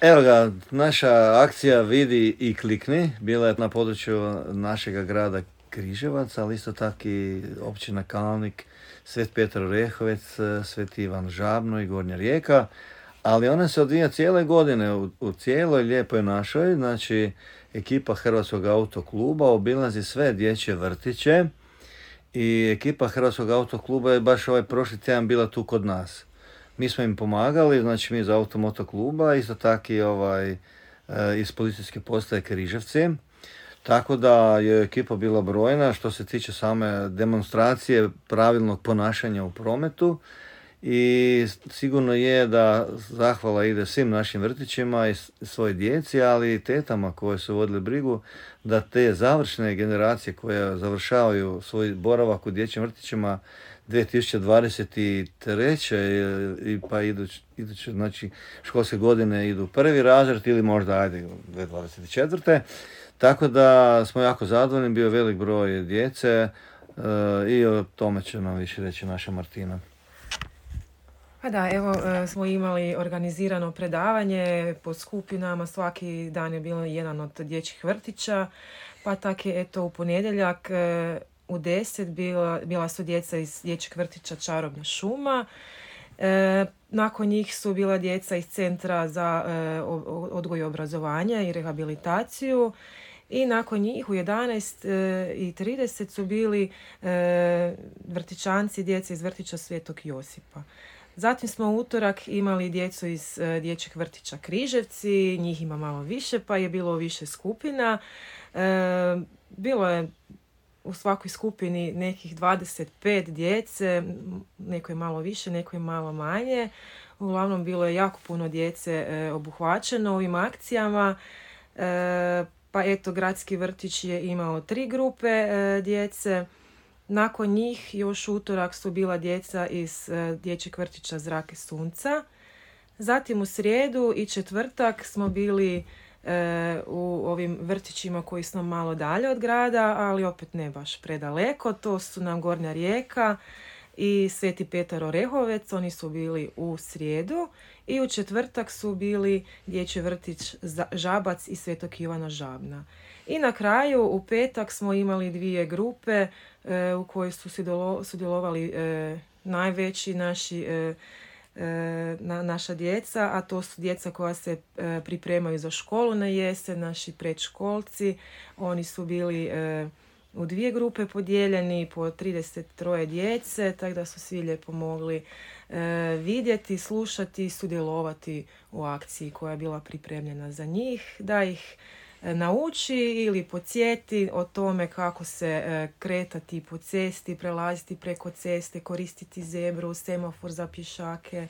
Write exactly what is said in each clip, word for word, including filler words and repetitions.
Evo ga, naša akcija Vidi i klikni bila je na području našega grada Križevac, ali isto tako i općina Kalnik, Svet Petar Orehovec, Sveti Ivan Žabno i Gornja Rijeka. Ali ona se odvija cijele godine u, u cijeloj lijepoj našoj, znači ekipa Hrvatskog autokluba obilazi sve dječje vrtiće i ekipa Hrvatskog autokluba je baš ovaj prošli tjedan bila tu kod nas. Mi smo im pomagali, znači mi iz Automoto kluba, isto tako i ovaj, iz policijske postaje Križevci. Tako da je ekipa bila brojna što se tiče same demonstracije pravilnog ponašanja u prometu. I sigurno je da zahvala ide svim našim vrtićima i svoj djeci, ali i tetama koje su vodile brigu da te završne generacije koje završavaju svoj boravak u dječjim vrtićima dvije tisuće dvadeset treće i pa iduće, iduće znači školske godine idu prvi razred ili možda ajde dvije tisuće dvadeset četvrte. Tako da smo jako zadovoljni, bio velik broj djece uh, i o tome će nam više reći naša Martina. Pa da, evo smo imali organizirano predavanje po skupinama, svaki dan je bilo jedan od dječjih vrtića, pa tako je eto u ponedjeljak u deset bila, bila su djeca iz dječjeg vrtića Čarobna šuma. E, nakon njih su bila djeca iz Centra za e, odgoj i obrazovanje i rehabilitaciju i nakon njih u jedanaest i trideset su bili e, vrtićanci, djeca iz vrtića Svetog Josipa. Zatim smo u utorak imali djecu iz e, dječjeg vrtića Križevci, njih ima malo više pa je bilo više skupina. E, bilo je u svakoj skupini nekih dvadeset pet djece, neko je malo više, neko je malo manje. Uglavnom bilo je jako puno djece e, obuhvaćeno ovim akcijama. E, pa eto, gradski vrtić je imao tri grupe e, djece. Nakon njih još utorak su bila djeca iz e, dječjeg vrtića Zrake sunca. Zatim u srijedu i četvrtak smo bili e, u ovim vrtićima koji su nam malo dalje od grada, ali opet ne baš predaleko. To su nam Gornja Rijeka i Sveti Petar Orehovec, oni su bili u srijedu. I u četvrtak su bili dječji vrtić Žabac i Svetog Ivana Žabna. I na kraju u petak smo imali dvije grupe e, u kojoj su sudjelovali e, najveći naši e, e, na, naša djeca, a to su djeca koja se e, pripremaju za školu na jesen, naši predškolci. Oni su bili e, u dvije grupe podijeljeni po trideset tri djece, tako da su svi lijepo mogli e, vidjeti, slušati i sudjelovati u akciji koja je bila pripremljena za njih, da ih nauči ili podsjeti o tome kako se e, kretati po cesti, prelaziti preko ceste, koristiti zebru, semafor za pješake,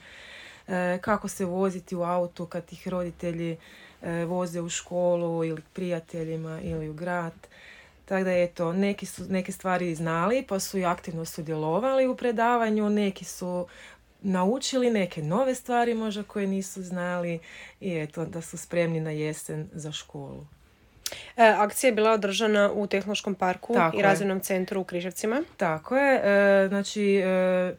e, kako se voziti u autu kad ih roditelji e, voze u školu ili prijateljima ili u grad. Tako da eto, neki su neke stvari znali pa su i aktivno sudjelovali u predavanju, neki su naučili neke nove stvari možda koje nisu znali i eto da su spremni na jesen za školu. E, akcija je bila održana u Tehnološkom parku Tako i razvojnom centru u Križevcima. Tako je, e, znači e,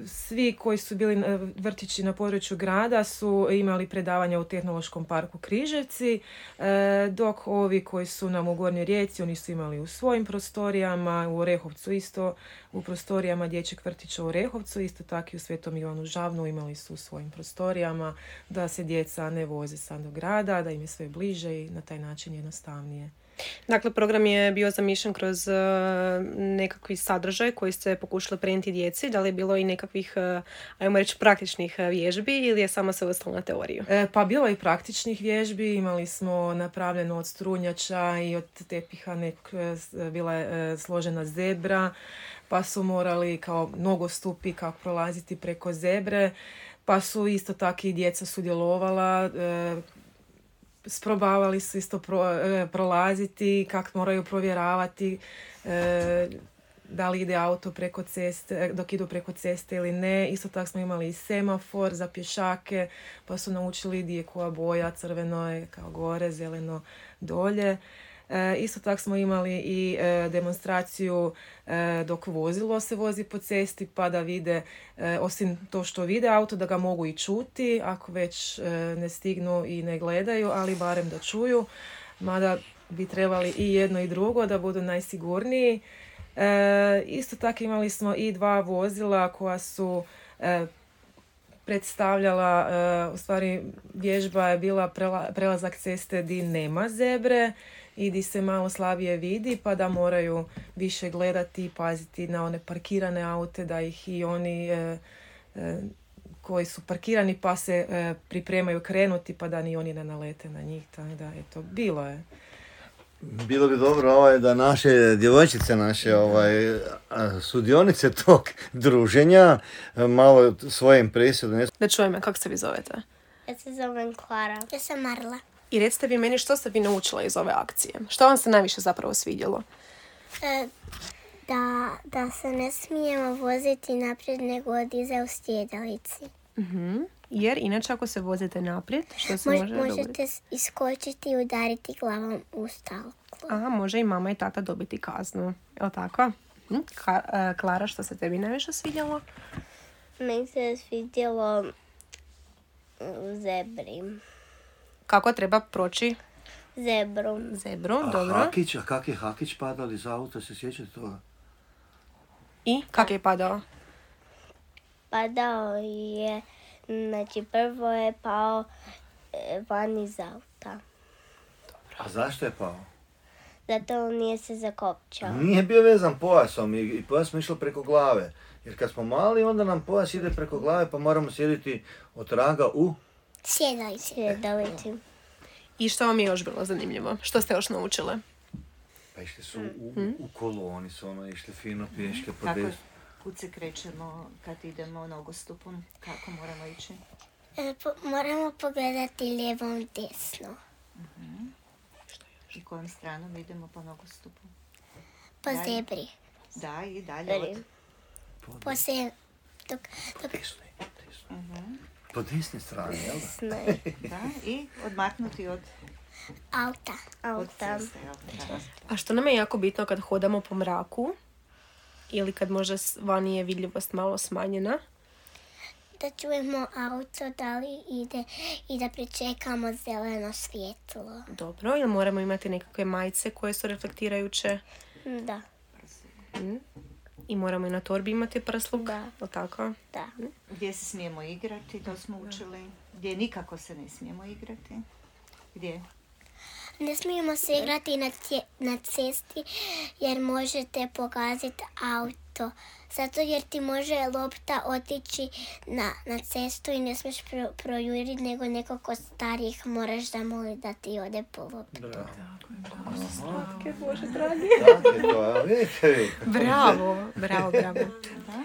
svi koji su bili vrtići na području grada su imali predavanja u Tehnološkom parku Križevci, e, dok ovi koji su nam u Gornjoj Rijeci, oni su imali u svojim prostorijama, u Orehovcu isto, u prostorijama dječjeg vrtića u Orehovcu, isto tako i u Svetom Ivanu Žabnu imali su u svojim prostorijama, da se djeca ne voze sad do grada, da im je sve bliže i na taj način jednostavnije. Dakle, program je bio zamišljen kroz uh, nekakvi sadržaj koji ste pokušali prenijeti djeci. Da li je bilo i nekakvih, uh, ajmo reći, praktičnih vježbi ili je samo se ostalo na teoriju? E, pa bilo je i praktičnih vježbi. Imali smo napravljeno od strunjača i od tepiha nek, bila je uh, složena zebra, pa su morali kao nogostupi kako prolaziti preko zebre, pa su isto tako i djeca sudjelovala, uh, sprobavali su isto pro, e, prolaziti, kako moraju provjeravati e, da li ide auto preko ceste, dok idu preko ceste ili ne. Isto tako smo imali i semafor za pješake, pa su naučili gdje je koja boja, crveno je kao gore, zeleno dolje. E, isto tako smo imali i e, demonstraciju e, dok vozilo se vozi po cesti pa da vide, e, osim to što vide auto, da ga mogu i čuti ako već e, ne stignu i ne gledaju, ali barem da čuju. Mada bi trebali i jedno i drugo da budu najsigurniji. E, isto tako imali smo i dva vozila koja su e, predstavljala, e, u stvari vježba je bila prela, prelazak ceste di nema zebre i di se malo slabije vidi, pa da moraju više gledati i paziti na one parkirane aute, da ih i oni e, e, koji su parkirani pa se e, pripremaju krenuti, pa da ni oni ne nalete na njih. Tako da, eto, bilo je. Bilo bi dobro ovaj, da naše djevojčice, naše ovaj, sudionice tog druženja malo svoje impresije donesu. Da čujeme, kako se vi zovete? Ja se zovem Klara. Ja sam Marla. I recite vi meni što ste vi naučila iz ove akcije? Što vam se najviše zapravo svidjelo? E, da, da se ne smijemo voziti naprijed nego odize u sjedalici. Uh-huh. Jer inače ako se vozite naprijed, što se Mož, može možete dogoditi? iskočiti i udariti glavom u stalku. Aha, može i mama i tata dobiti kaznu. Je li tako? Hm? Ka, uh, Klara, što se tebi najviše svidjelo? Meni se svidjelo u zebri. Kako treba proći Zebru. zebru? A Dobro. Hakić, a kak je Hakić padali iz auta, se sjećate toga? I kak je padao? Padao je, znači prvo je pao e, van iz auta. A zašto je pao? Zato nije se zakopčao. Nije bio vezan pojasom i, i pojas smo išlo preko glave. Jer kad smo mali, onda nam pojas ide preko glave pa moramo sjediti od raga u... Sjedalici. Sjedalici. I što vam je još bilo zanimljivo? Što ste još naučile? Pa išli su u, u, u koloni, su ono išli fino pješke po Kako, desnu. kud se krećemo kad idemo nogostupom? Kako moramo ići? E, po, moramo pogledati lijevom desno. I kojom stranom idemo po nogostupu? Po Dalje. zebri. Da, i dalje od... Po se... Dok, dok Desno je, desno. Po desnoj strani, jel da? sne. Da, i odmaknuti od, Auta. od Auta. ceste. Jel? Da. A što nam je jako bitno kad hodamo po mraku ili kad možda s- vani je vidljivost malo smanjena? Da čujemo auto da li ide i da pričekamo zeleno svjetlo. Dobro, ili moramo imati nekakve majice koje su reflektirajuće? Da, Mm. I moramo i na torbi imati prsluk? Da. Jel' tako? da. Gdje se smijemo igrati, to smo učili. Gdje nikako se ne smijemo igrati. Gdje? Ne smijemo se igrati na, tje, na cesti jer možete pogaziti auto. Zato jer ti može lopta otići na, na cestu i ne smiješ pro, projuriti nego nekog od starijih moraš zamoliti da ti ode po loptu. Bravo. Slatke, Bože dragi. Tako je to, a vidite vi. Bravo, bravo, bravo. Da.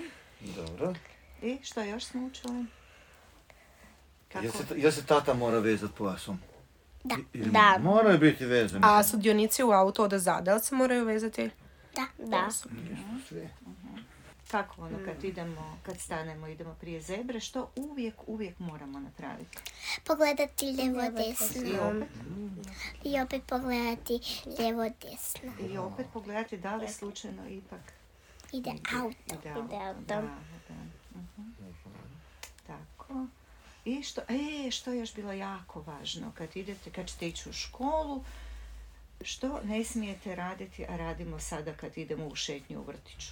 Dobro. I što još smo učili? Kako? Jel se, jel se tata mora vezati pojasom? Da, Ili da, moraju biti vezani. A sudionici u auto od zada se moraju vezati? da, da. Sve. Kako ono kad idemo, kad stanemo, idemo prije zebre, što uvijek, uvijek moramo napraviti? Pogledati lijevo desno. I opet, I opet pogledati lijevo desno. i opet pogledati da li slučajno ipak Ide auto. ide Ide auto. auto. Da, da. Mhm. Tako. I što, e, što je još bilo jako važno kad idete, kad ćete ići u školu, što ne smijete raditi, a radimo sada kad idemo u šetnju u vrtiću.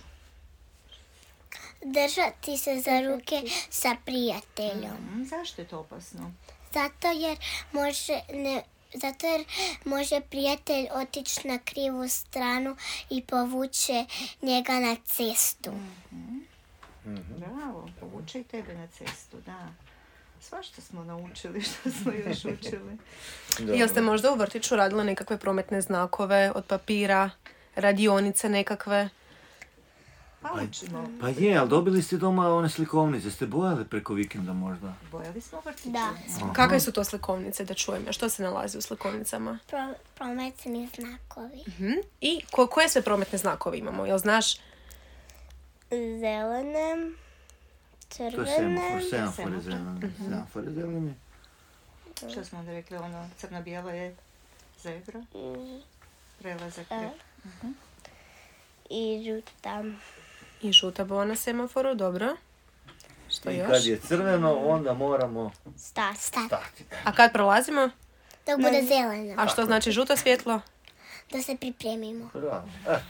Držati se za ruke sa prijateljom. Mhm. Zašto je to opasno? Zato jer može ne zato jer može prijatelj otići na krivu stranu i povuče njega na cestu. Bravo, povuče i tebe na cestu, da. Svašta smo naučili, što smo još učili. Jel ste možda u vrtiću radili nekakve prometne znakove od papira, radionice nekakve? Pa učimo. Pa je, ali dobili ste doma one slikovnice, ste bojali preko vikenda možda? Bojali smo vrtiće. Da. Aha. Kakve su to slikovnice, da čujem? Što se nalazi u slikovnicama? Pro, prometni znakovi. Mhm. I ko, koje sve prometne znakove imamo? Jel znaš? Zelene, To je crvene, semafor, semafor je Semafor. zeleni. Semafor je zeleni. Što smo onda rekli, ono crno-bijelo je zebra. prelazak. E. Uh-huh. I žuta. I žuta boja na semaforu, dobro. Što I još? kad je crveno, onda moramo Stati. Stati. stati. A kad prolazimo? Dok bude zeleno. A što znači žuto svjetlo? Da se pripremimo. Bravo. Eto,